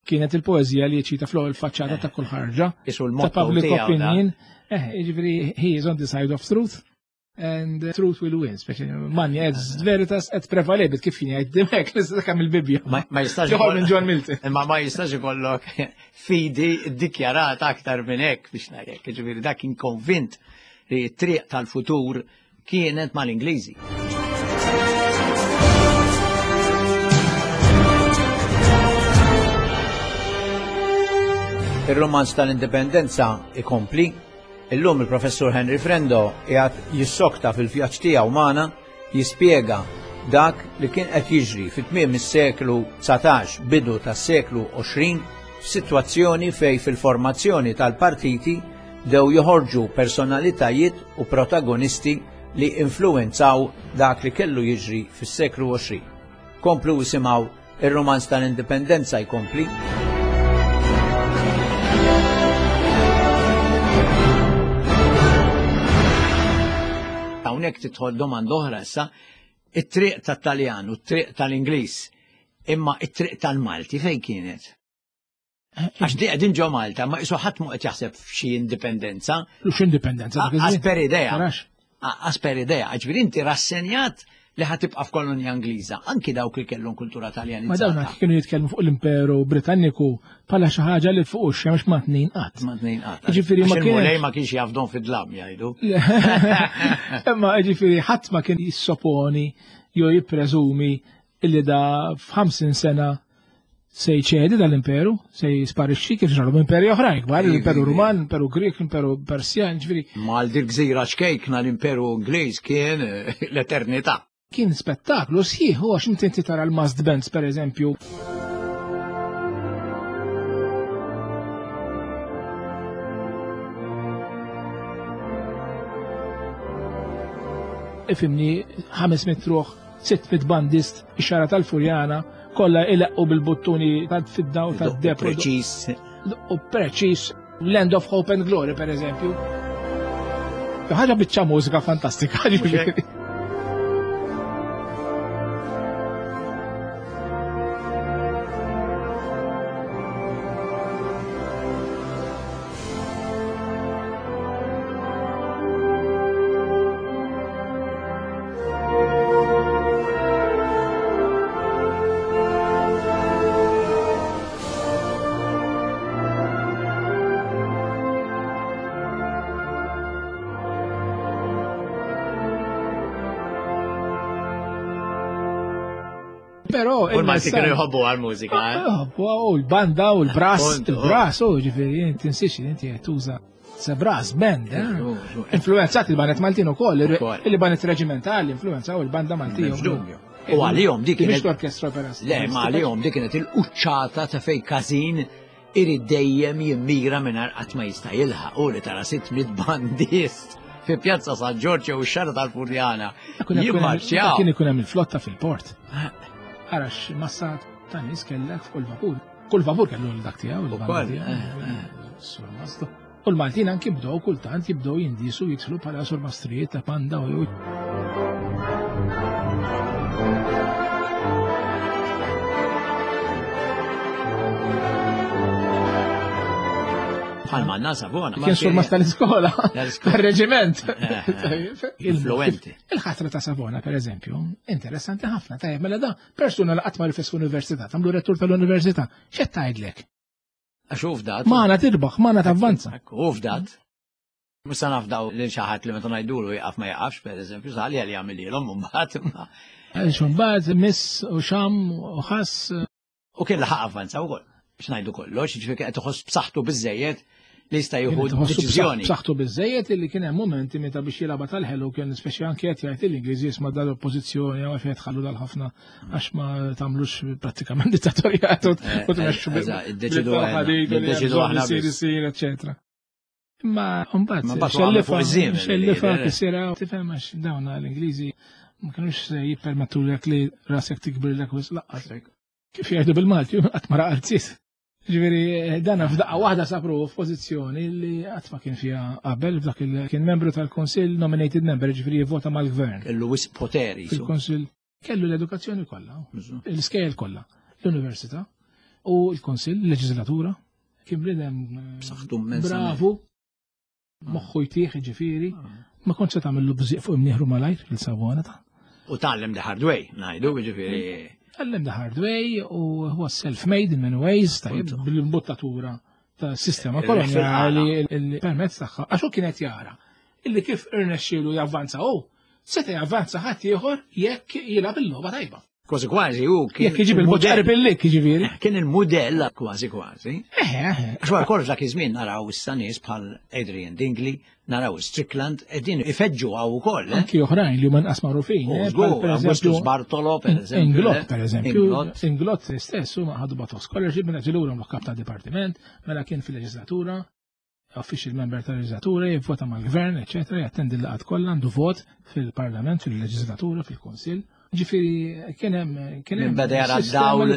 Kienet il-poezija li ċita fl il-faċċata ta' kull ħarġa Isu ta' l-motto public tiegħu da. opinion. Eh, ġifieri he is on the side of truth and truth will win. Speċi magna est veritas et prevalebit kif kien jgħid dimek l-istess il-Bibbja. Ma ma jistax Joħol minn John Milton. Imma ma jistax ikollok fidi ddikjarata aktar minn hekk biex ngħidlek. Ġifieri dak kien konvint li t-triq tal-futur kienet mal-Ingliżi. Ir-romanz tal-Indipendenza ikompli. Illum il-professur Henry Frendo qiegħed jissokta fil-vjaġġ tiegħu magħna jispjega dak li kien qed jiġri fit-tmiem is-seklu dsatax, bidu tas-seklu għoxrin, f'sitwazzjoni fej fil-formazzjoni tal-partiti bdew joħorġu personalitajiet u protagonisti li influenzaw dak li kellu jiġri fis-seklu għoxrin. Komplu isimgħu ir-romanz tal-Indipendenza jkompli. Hawnhekk tidħol domanda oħra issa, it-triq tat-Taljan u t-triq tal-Ingliż, imma it-triq tal-Malti fejn kienet? Għax di qegħdin ġo Malta, ma qisu ħadd mu qed jaħseb f'xi indipendenza. Lux indipendenza. dak iż-żmien. Għas per idea. Tarax. Għas per idea, ġifieri inti rassenjat li ħa tibqa' f'kolonja Ingliża, anki dawk li kellhom kultura Ma Taljanizzata. dawn kienu jitkellmu fuq l-Imperu Britanniku bħala xi ħaġa li fuq ix-xemx ma tnejn qatt. Ma tnejn qatt. Ġifieri ma Għax il-Mulej kienx- ma kienx jafdon fid-dlam jgħidu. Imma ġifieri ħadd ma kien jissoponi jew jippreżumi illi da f'ħamsin sena se jċedi dal-imperu, se jisparixxi kif ġralu imperi oħrajn kbar, l-Imperu Ruman, l-Imperu Grek, l-Imperu Persjan, ġifieri Ma għal dik gżira ċkejkna l-Imperu Ingliż kien eh, l-eternità. kien spettaklu sħiħ, u għax inti inti tara l-Masked Bands per eżempju. Ifimni ħames mitt ruħ, sitt mitt bandist, ix-xara tal-Furjana, kollha ileqqu bil-buttuni tal-fidda u tad-deb. Preċis. U preċis, Land of Hope and Glory per eżempju. Ħaġa biċċa mużika fantastika. ġifieri. Però U l-Malti il-messaġġ- kienu jħobbu għal-mużika, eh? Ah, U l-banda u l-brass, Appunto. il-brass, u ġifieri, inti tinsiex li inti qed tuża se brass band, eh? Influenzati il-banet Maltin ukoll, Ukoll. il-banet reġimentali influenzaw il-banda Maltija. M'hemmx dubju. U għalihom dik kienet kienet- l-orkestra opera. Le, ma għalihom dik kienet il-quċċata ta' fej każin irid dejjem jimmira mingħajr qatt ma jista' jilħaq u li tara sitt mitt bandist fi Pjazza San Ġorġ jew ix-xara tal-Furjana. Jimmarċjaw. Kien ikun hemm il-flotta fil-port. Arax massa ta' nies kellek fuq il-vapur. Kull vapur kellu l-dak tiegħu, il-banda Ukoll, tiegħu. eh, Sur Mazda. U l-Maltin anki bdew kultant jibdew jindisu jidħlu bħala surmastrijiet ta' panda u Bħal manna Savona. Kien surmast tal-iskola, tal-reġiment. Influenti. Il-ħatra ta' Savona, per eżempju, interessanti ħafna. Tajjeb, mela da, persuna li qatt ma rifes f'università, tagħmlu rettur tal-università, x'qed tgħidlek? Għax hu fdat. Magħna tirbaħ, magħna tavvanza. Hu fdat. Mhux se nafdaw lil xi ħadd li meta ngħidulu jaqaf ma jaqafx, per eżempju, sali għal jagħmililhom mbagħad. Għaliex imbagħad miss u xam u ħass. U kien laħaq avvanza wkoll. Biex ngħidu kollox, jiġifieri qed iħoss b'saħħtu biżejjed li jista' jieħu deċiżjoni. B'saħħtu biżejjed illi kien hemm momenti meta biex jilgħabha tal-ħelu kien speċi anke qed jgħid l-Ingliżi jisma' dal-oppożizzjoni jew qed tħallu dal-ħafna għax ma tagħmlux prattikament dittatorjat u tmexxu iddeċidu aħna isir, eċċetera. Imma mbagħad xellifa xellifa kisira tifhem għax dawn l-Ingliżi ma kinux se jippermettulek li rasek tikbirlek wisq laqqas. Kif jgħidu bil-Malti, qatt ma raqarziet. Ġifieri dana f'daqqa waħda sapru f'pożizzjoni li qatt ma kien fiha qabel, f'dak il kien membru tal-Kunsill, nominated member, ġifieri jivvota mal-gvern. Kellu wisq poteri. Fil-Kunsill kellu l-edukazzjoni kollha, l-iskejjel kollha, l-università u l-Kunsill, l-leġislatura. Kien bniedem b'saħħtu immensament. Bravu, moħħu jtieħ, ġifieri, ma kontx se tagħmillu bżieq fuq imnieħru malajr lil Savona ta'. U tgħallem the hard way, ngħidu, ġifieri. Tgħallem the hard way u huwa self-made in many ways, tajjeb, bil-imbuttatura ta' sistema koloniali il-permezz tagħha, għax hu kien qed jara illi kif irnexxielu javvanza hu, seta' javvanza ħadd ieħor jekk jilgħab il-logħba tajba. Kważi kważi hu kien jekk iġib il-boċ billik jiġifieri. Kien il-mudell kważi kważi. Eħe, eħe. Għax wara kollox dak iż-żmien naraw issa nies bħal Adrian Dingley, naraw Strickland, qegħdin ifeġġu hawn ukoll. Anki oħrajn li huma nqas magħrufin. Augustus Bartolo, per eżempju. Inglott, per eżempju. Inglott stess huma ħadu bagħtu scholarship mela ġilura kap ta' dipartiment, mela kien fil-leġislatura, official member tal-leġislatura, jivvota mal-gvern, eċetera, jattendi l-laqgħat kollha, għandu vot fil-parlament, fil-leġislatura, fil-kunsill. Ġifieri kien hemm kien hemm beda jara dawl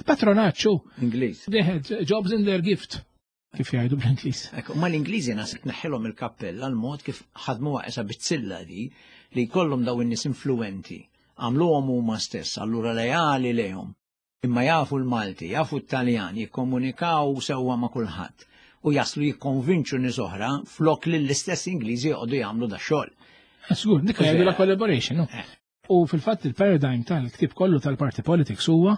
patronaġġ Ingliż. They had jobs in their gift, kif jgħidu bl-Ingliż. Ekk, ma l-Ingliżi nasib neħħilhom il-kappell għal mod kif ħadmuha qesa bizzilla di li jkollhom daw in-nies influenti, għamluhom huma stess, allura lejali lejhom. Imma jafu l-Malti, jafu t-Taljan, jikkomunikaw sewwa ma' kulħadd u jaslu jikkonvinċu nies oħra flok li l-istess Ingliżi joqogħdu jagħmlu da xogħol. Żgur, dik jgħidu la collaboration, no? U fil-fatt il-paradigm tal-ktib kollu tal-party politics huwa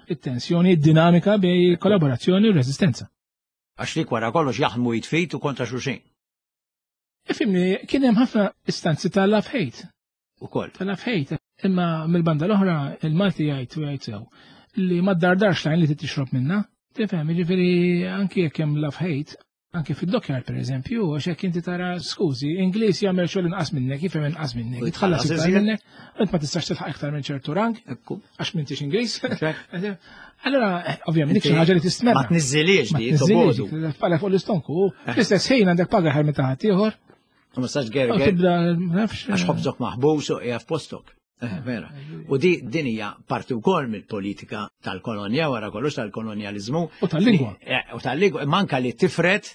it-tensjoni, id-dinamika bej kollaborazzjoni u resistenza. Għax li wara kollox jaħdmu jitfit u kontra xulxin. Ifimni, kien hemm ħafna istanzi tal-love hate. Ukoll. Tal-love hate. Imma mill-banda l-oħra il-Malti jgħid u jgħid sew li ma ddardarx lajn li tixrob minna. Tifhem, jiġifieri anki jekk hemm love hate, anki fid-dockyard per eżempju, għax jekk inti tara skużi, Ingliż jagħmel xogħol inqas minnek, jifhem inqas minnek, jitħallas iktar minnek, int ma tistax tilħaq iktar minn ċertu rank, għax m'intix Ingliż. Allora, ovvjament, dik xi ħaġa li tistmerra. Ma tniżżilix di, tobodu. Tfalek fuq l-istonku, fl-istess ħin għandek paga ħar minn taħt ieħor. Ma tistax gerger. Tibda, nafx. Għax ħobżok maħbus u qiegħed f'postok. Vera. U di din hija parti wkoll mill-politika tal-kolonja wara kollox tal-kolonjaliżmu. U tal-lingwa. U tal-lingwa, manka li tifret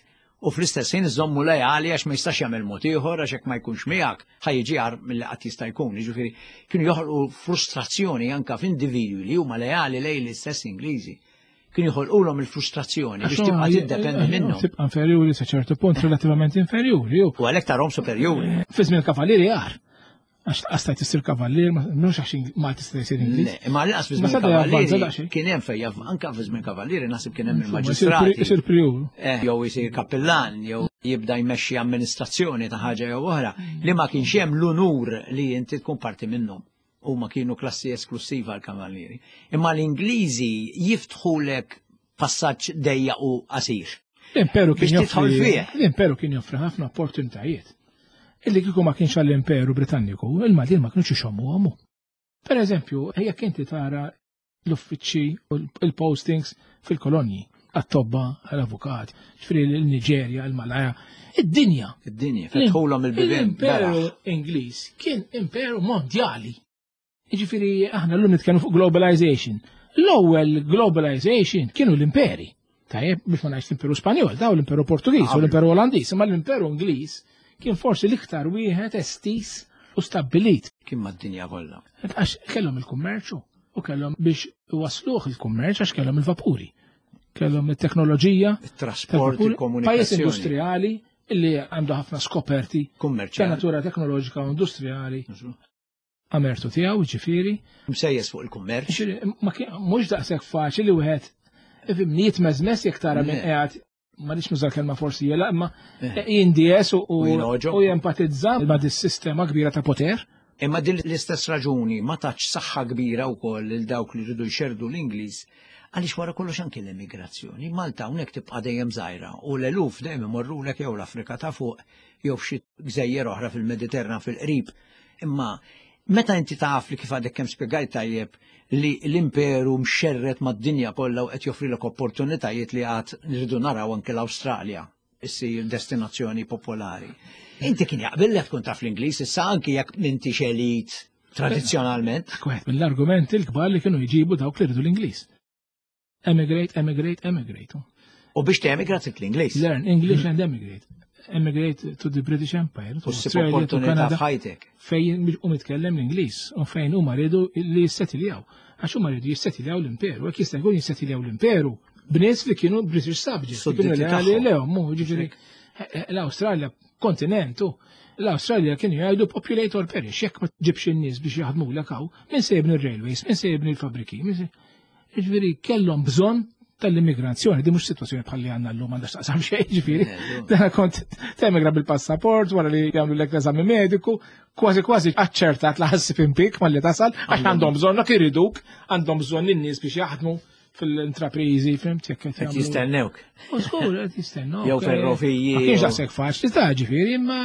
u fl-istess ħin iżommu lejali għax ma jistax jagħmel mod ieħor għax hekk ma jkunx miegħek ħa jiġi agħar milli qatt jista' jkun. Jiġifieri kienu joħolqu frustrazzjoni anke f'individwi li huma lejali lejn l-istess Ingliżi. Kienu joħolqulhom il-frustrazzjoni biex tibqa' tiddependi minnhom. Tibqa' inferjuri sa ċertu punt relattivament inferjuri. U għalhekk tarhom superjuri. Fi żmien il-kavallieri agħar. Għax tqastajt issir kavallier, mhux għax ma tista' jsir Ingliż. Imma lanqas fi żmien kavallieri kien hemm fejn anke fi żmien kavallieri naħseb kien hemm il-maġistrati. Isir prijur. Jew isir kappillan, jew jibda jmexxi amministrazzjoni ta' ħaġa jew oħra li ma kienx hemm l-unur li inti tkun parti minnhom. Huma kienu klassi esklusiva l-kavallieri. Imma l-Ingliżi jiftħulek passaġġ dejjaq u qasir. L-imperu kien joffri l-imperu kien joffri ħafna opportunitajiet. Illi kieku ma kienx għall-Imperu Britanniku, il-Maltin ma kienux ixommu għamu. Per eżempju, jekk inti tara l-uffiċċji u l-postings fil-kolonji, għat-tobba, għall-avukat, ġifieri l-Niġerja, il-Malaja, id-dinja. Id-dinja, fetħulhom il-bibien. L-Imperu Ingliż kien imperu mondjali. Jiġifieri aħna llum nitkellmu fuq globalization. L-ewwel globalization kienu l-imperi. Tajjeb, biex ma ngħidx l-Imperu Spanjol, daw l-Imperu Portugiż u l-Imperu Olandiż, imma l-Imperu Ingliż kien forsi l-iktar wieħed estis u stabbilit. Kien mad-dinja kollha. Għax kellhom il-kummerċu u kellhom biex wasluh il-kummerċ għax kellhom il-vapuri. Kellhom it-teknoloġija, it-trasport, il-komunikazzjoni. Pajjiż industrijali illi għandu ħafna skoperti kummerċjali ta' natura teknoloġika u industrijali. Amertu tiegħu, ġifieri. Msejjes fuq il-kummerċ. Mhux daqshekk faċli li wieħed ifhimni jitmeżmes jekk tara minn qiegħed ma rridx nuża l-kelma forsi jela, imma jindies u jempatizza ma' dis-sistema kbira ta' poter. Imma din l-istess raġuni ma tatx saħħa kbira wkoll lil dawk li rridu jxerdu l-Ingliż, għaliex wara kollox anke l-immigrazzjoni. Malta hawnhekk tibqa' dejjem żgħira u l-eluf dejjem imorrulek jew l-Afrika ta' fuq jew f'xi gżejjer oħra fil-Mediterran fil-qrib. Imma meta inti taf li kif għadek kemm spjegajt tajjeb li l-imperu mxerret mad-dinja kollha u qed joffrilek opportunitajiet li għad nridu naraw anke l-Awstralja issir destinazzjoni popolari. Inti kien jaqbillek tkun taf l-Ingliż issa anke jekk m'intix elit tradizzjonalment. Dak wieħed mill-argumenti l-kbar li kienu jġibu dawk li rridu l-Ingliż. Emigrate, emigrate, emigrate. U biex temigra trid l-Ingliż. Learn English and emigrate. Emigrate to the British Empire, to U ssib Australia, to opportunità Canada. f'ħajtek. Fejn u mitkellem l-Ingliż u fejn huma rridu li jissetiljaw. Għax huma rridu jissetiljaw l-imperu, hekk jista' jkun jissetiljaw l-imperu b'nies li kienu British subjects, li kienu Sudditi leali tagħhom. lehom, mhu ġifieri l-Awstralja kontinent u l-Awstralja kienu jgħidu populate or perish, jekk ma ġibx in-nies biex jaħdmulek hawn, min se jibni r-railways, min se jibni l-fabriki, min se Ġifieri kellhom bżonn tal-immigrazzjoni, di mhux sitwazzjoni bħal li għandna llum m'għandax taqsam xejn, ġifieri. Dana kont temigra bil-passaport wara li jagħmlu lek l-eżami mediku, kważi kważi aċċertat la ħassib impik malli tasal, għax għandhom bżonnok iriduk, għandhom bżonn in-nies biex jaħdmu fil-intrapriżi, fhimt jekk qed Qed jagħmlu. jistennewk. U żgur qed jistennewk. Jew ferroviji, Ma kienx jew- daqshekk faċli ta' ġifieri, imma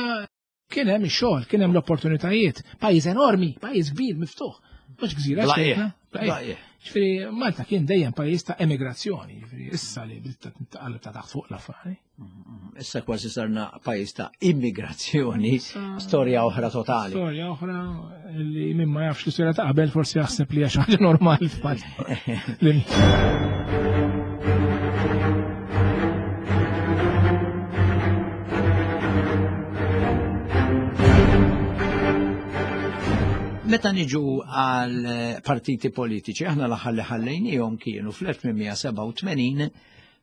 kien hemm ix-xogħol, kien hemm l-opportunitajiet. Pajjiż enormi, pajjiż kbir, miftuħ. Mhux gżira Blaqieħ. xejn, blaqieħ. Blaqieħ. Ġifieri Malta kien dejjem pajjiż ta' emigrazzjoni, ġifieri issa li bdiet taqaleb ta' taħt fuq l-affari. Issa kważi sarna pajjiż ta' immigrazzjoni, storja oħra totali. Storja oħra li min ma jafx l-istorja ta' qabel forsi jaħseb li hija xi ħaġa normali f'Malta. Li- Meta niġu għal partiti politiċi, aħna l-aħħar li ħallejnihom kienu fl-elf tmien mija sebgħa u tmenin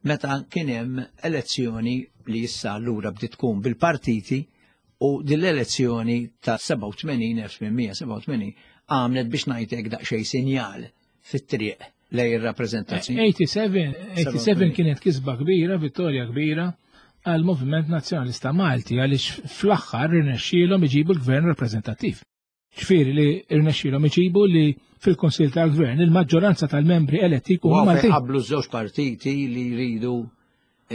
meta kien hemm elezzjoni li issa allura bdiet tkun bil-partiti u din l-elezzjoni ta' sebgħa u tmenin, elf tmien mija sebgħa u tmenin, għamlet biex ngħidlek daqsxejn sinjal fit-triq lejn ir-rappreżentazzjoni. eighty-seven, eighty-seven kienet kisba kbira, vittorja kbira għal Moviment Nazzjonalista Malti għaliex fl-aħħar irnexxielhom iġibu l-gvern rappreżentattiv. Ġifieri li irnexxielhom iġibu li fil-Kunsill tal-Gvern il-maġġoranza tal-membri eletti jkunu Wow, fejn Maltin. qablu żewġ partiti li jridu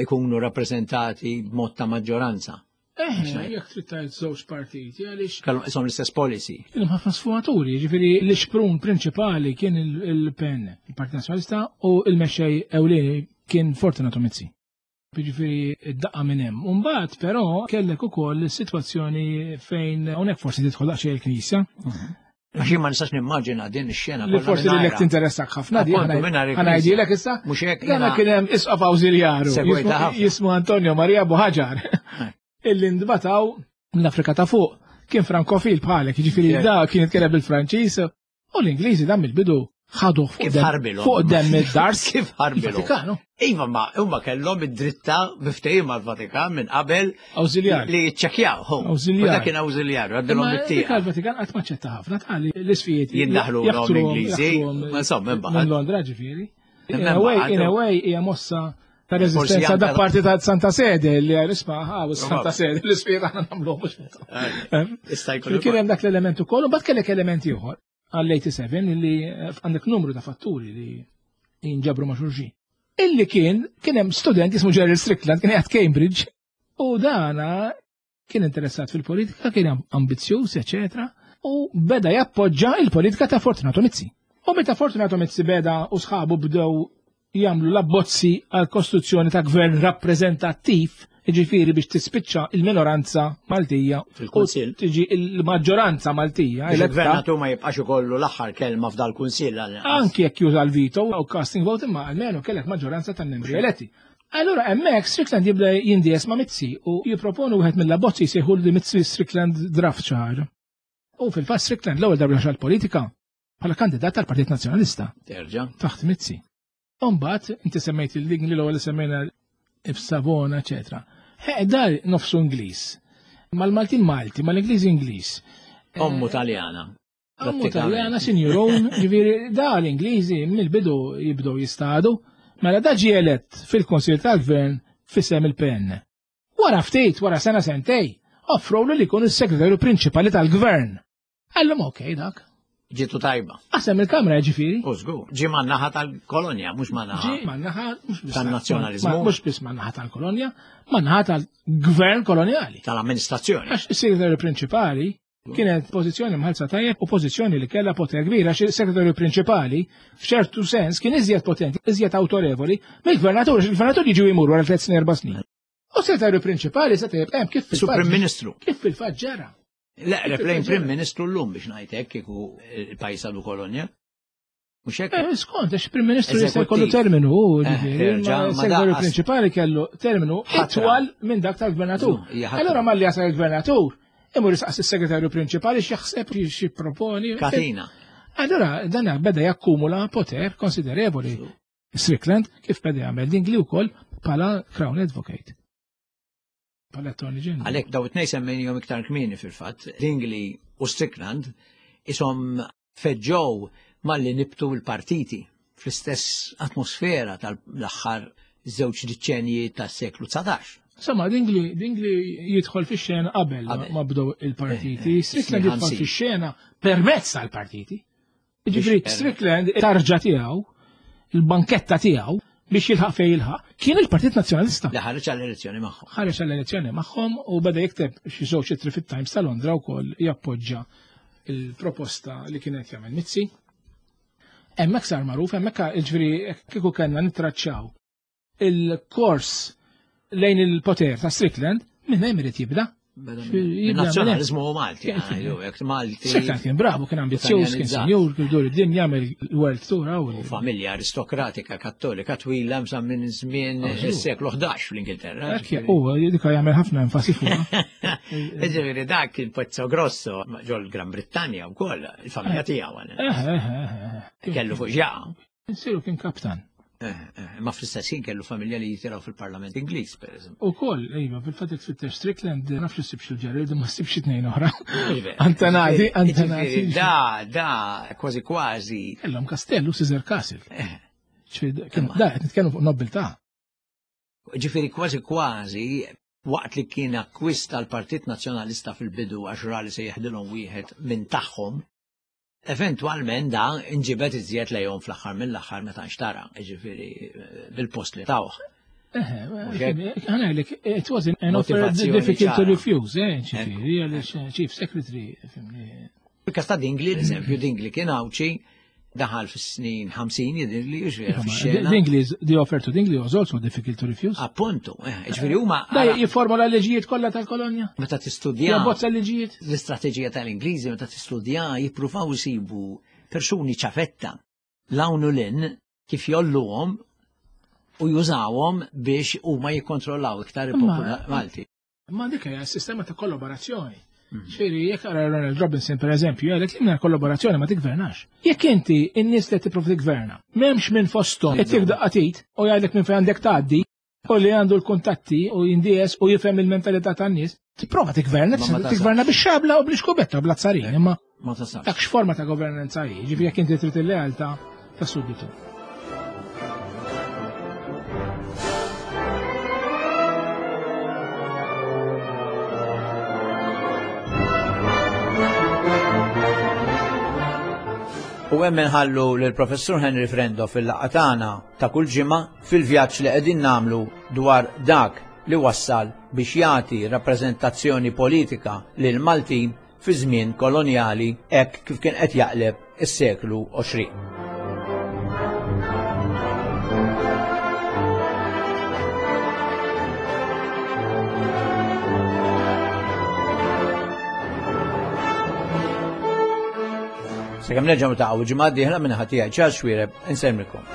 ikunu rappreżentati b'mod ta' maġġoranza. Eh, jekk trid tgħid żewġ partiti għaliex Kellhom ishom l-istess policy. Kienu ħafna sfumaturi, ġifieri l-ixprun prinċipali kien il-, il-P N, il-Partit Nazzjonalista, u il-mexxej ewlieni kien Fortunato Mizzi. Ġifieri id-daqqa minn hemm. U mbagħad però kellek ukoll is-sitwazzjoni fejn hawnhekk forsi tidħol daqsxejn il-Knisja. Għax jien ma nistax nimmaġina din ix-xena Li kollha forsi mingħajrha. lilek tinteressak ħafna di, Appuntu, ħana- mingħajr il-Knisja. ħanajdilek issa. Mhux hekk Dana jiena kien hemm isqof awżiljaru, Segwejta jismu- ħafna. jismu Antonio Maria Buhagiar. Eh. Illi ndbataw mill-Afrika ta' fuq. Kien frankofil bħalek, jiġifieri Ċert. da kien jitkellem bil-Franċiż u l-Ingliżi dan mill-bidu ħaduh fuq Kif dem- ħarbilhom? fuq dem id-dars. Kif ħarbilhom? Il-Vatikanu. Iva, ma huma kellhom id-dritta biftehim mal-Vatikan minn qabel Awżiljar. li jiċċekkjaw. hu. Awżiljar. U dak kien awżiljarju, għaddilhom Imma bit-tieqa. dik għall-Vatikan qatt ma ċetta ħafna tali l-isfijiet Jiddaħlu jaħtruhom- l-om Ingliżi, jaħtruhom ma insomma, imbagħad. Minn Londra ġifieri. Imma In a way, imbagħad in a way hija mossa ta' Forsi reżistenza anke da parti ta' Santa Sede li għal isma' ħa, u Santa Probabbli. Sede l-isfijiet aħna nagħmluhom mhux intom. Eh, issa jkun Kien hemm dak l-element ukoll, u mbagħad kellek element ieħor għall-eighty-seven li għandek numru ta' fatturi li jinġabru ma' xulxin. Illi kien, kien hemm student jismu Gerald Strickland, kien qiegħed Cambridge, u dana kien interessat fil-politika, kien ambizzjuż, eċetera, u beda jappoġġa il-politika ta' Fortunato Mizzi. U meta Fortunato Mizzi beda u sħabu bdew jagħmlu l-abbozzi għal kostruzzjoni ta' gvern rappreżentattiv, jiġifieri biex tispiċċa il-minoranza Maltija Fil-Kunsill. u tiġi il-maġġoranza Maltija Biex eletta. il-gvernatur ma jibqax ikollu l-aħħar kelma f'dal-Kunsill għal inqas. Anki jekk juża l-veto u casting vote, imma almenu kellek maġġoranza tan-membri eletti. Allura hemmhekk Strickland jibda jindies ma' Mizzi u jipproponu wieħed mill-abbozzi jsejħu li Mizzi Strickland draft xi ħaġa. U fil-fatt Strickland l-ewwel darba xal politika bħala kandidat tal-Partit Nazzjonalista. Terġa'. Taħt Mizzi. Imbagħad inti semmejt il-Dingli l-ewwel semmejna Savona, eċetera. Dar nofsu Ingliż. Mal-Maltin Malti, mal-Ingliż Ingliż. Ommu Taljana. Ommu Taljana, sinjurun, ġifieri da l-Ingliżi mill-bidu jibdew jistadu. Mela da ġie elett fil-Konsil tal-Gvern f'isem il-P N. Wara ftit, wara sena sentej, offrowlu li jkun is-segretarju prinċipali tal-Gvern. Għallhom okej dak. Ġitu tajba. Qasem il-Kamra ġifieri. U żgur, ġie man-naħa tal-kolonja, mhux man-naħa. Ġie man-naħa mhux biss tan-nazzjonaliżmu. Mhux biss man-naħa tal-kolonja, man-naħa tal-gvern kolonjali. Tal-amministrazzjoni. Għax is-segretarju prinċipali kienet pożizzjoni mħallsa tajjeb u pożizzjoni li kellha poter kbir, għax is-segretarju prinċipali f'ċertu sens kien iżjed potenti, iżjed awtorevoli mill-gvernatur, għax il-gvernatur jiġu jmur wara tliet snin erba' snin. U s-segretarju prinċipali se tejjeb hemm kif fil-fatt. Prim Ministru. Kif fil-fatt ġara. Le, replejn Prim Ministru llum biex ngħid hekk kieku il-pajjiż għadu kolonja. Mhux hekk? Eh, skont, għax Prim Ministru jista' jkollu terminu, ġifieri, ma s-segretarju prinċipali kellu terminu itwal minn dak tal-gvernatur. Allura malli jasal il-gvernatur, imur jisqas is-segretarju prinċipali x'jaħseb x'jipproponi. Katina. Allura dan beda jakkumula poter konsiderevoli. Strickland kif beda jagħmel Dingli wkoll bħala Crown Advocate. Bħala Attorney General. Għalhekk daw it-tnejn semmejnihom iktar kmieni fil-fatt, Dingli u Strickland ishom feġġew malli nibtu l-partiti fl-istess atmosfera tal-aħħar żewġ deċenji tas-seklu dsatax. Insomma, Dingli, Dingli jidħol fix-xena qabel ma bdew il-partiti. Strickland jidħol fix-xena permezz tal-partiti. Jiġifieri Strickland tarġa tiegħu, il-banketta tiegħu biex jilħaq fejn jilħaq, kien il-Partit Nazzjonalista. Li ħareġ għall-elezzjoni magħhom. Ħareġ għall-elezzjoni magħhom u beda jikteb xi żewġ ittri fit-Times ta' Londra wkoll jappoġġa il-proposta li kienet jagħmel Mizzi. Hemmhekk sar magħruf, hemmhekk jiġifieri kieku kellna nittraċċaw il-kors lejn il-poter ta' Strickland, minn hemm irid jibda. Nazzjonaliżmu Malti, jekk Malti. Strickland kien bravu, kien ambizzjuż, kien sinjur, kien dur id-dinja jagħmel world tour hawn. U familja aristokratika kattolika twila msa minn żmien is-seklu ħdax fl-Ingilterra. Hekk huwa dika jagħmel ħafna enfasi fuqha. Jiġifieri dak kien pezzo grosso ġol Gran Brittanja wkoll, il-familja tiegħu. Kellu fuq ġaqa. Insiru kien kaptan. Ma fl-istess ħin kellu familja li jitilgħu fil-Parlament Ingliż, pereżempju. Ukoll, iva, fil-fatt jekk tfittex Strickland, nafx li ssibx il-Gerald, ma ssibx tnejn oħra. Antanati, antanati. Da, da, kważi kważi. Kellhom kastellu Caesar Castle. Da, qed nitkellmu fuq nobiltà. Ġifieri kważi kważi waqt li kien akkwista l-Partit Nazzjonalista fil-bidu għax ra li se jeħdilhom wieħed minn tagħhom, eventwalment da inġibet iżjed lejhom fl-aħħar mill-aħħar meta nxtara, jiġifieri bil-post li tawh. Ħanajlek, it was an offer difficult to refuse, eh, ġifieri, għaliex Chief Secretary, fimni. Fil-każ ta' Dingli, eżempju, Dingli kien Għawdxi, daħal fis-snin ħamsin jidhirli, jiġifieri fix-xena. Dingli, the offer to Dingli was also difficult to refuse. Appuntu, jiġifieri huma. Da jifformola l-liġijiet kollha tal-kolonja. Meta tistudja. Jabbozza l-liġijiet. L-istrateġija tal-Ingliżi meta tistudja jippruvaw isibu persuni ċafetta l-hawn u l-in kif jolluhom u jużawhom biex huma jikkontrollaw iktar il-popolu Malti. Ma dik hija s-sistema ta' kollaborazzjoni. Ġifieri jekk ara Ronald Robinson per eżempju, jgħidlek li mingħajr kollaborazzjoni ma tigvernax. Jekk inti n-nies li tipprova tigverna, m'hemmx minn fosthom qed jekk daqqatit u jgħidlek minn fejn għandek tgħaddi u li għandu l-kuntatti u jindies u jifhem il-mentalità tan-nies, tipprova tigverna, tigverna bix-xabla u bl-iskubetta u bl-azzarin, imma dak x'forma ta' governanza hi, ġifieri jekk inti trid il-lealtà ta' sudditu. U hemm inħallu lill-Professur Henry Frendo fil-laqgħa tagħna ta' kull ġimgħa fil-vjaġġ li qegħdin nagħmlu dwar dak li wassal biex jagħti rappreżentazzjoni politika lil Maltin fi żmien kolonjali hekk kif kien qed jaqleb is-seklu għoxrin. Sakemm nerġgħu niltaqgħu ġimgħa d-dieħla minn ħadd tiegħi Charles Xuereb insellmilkom.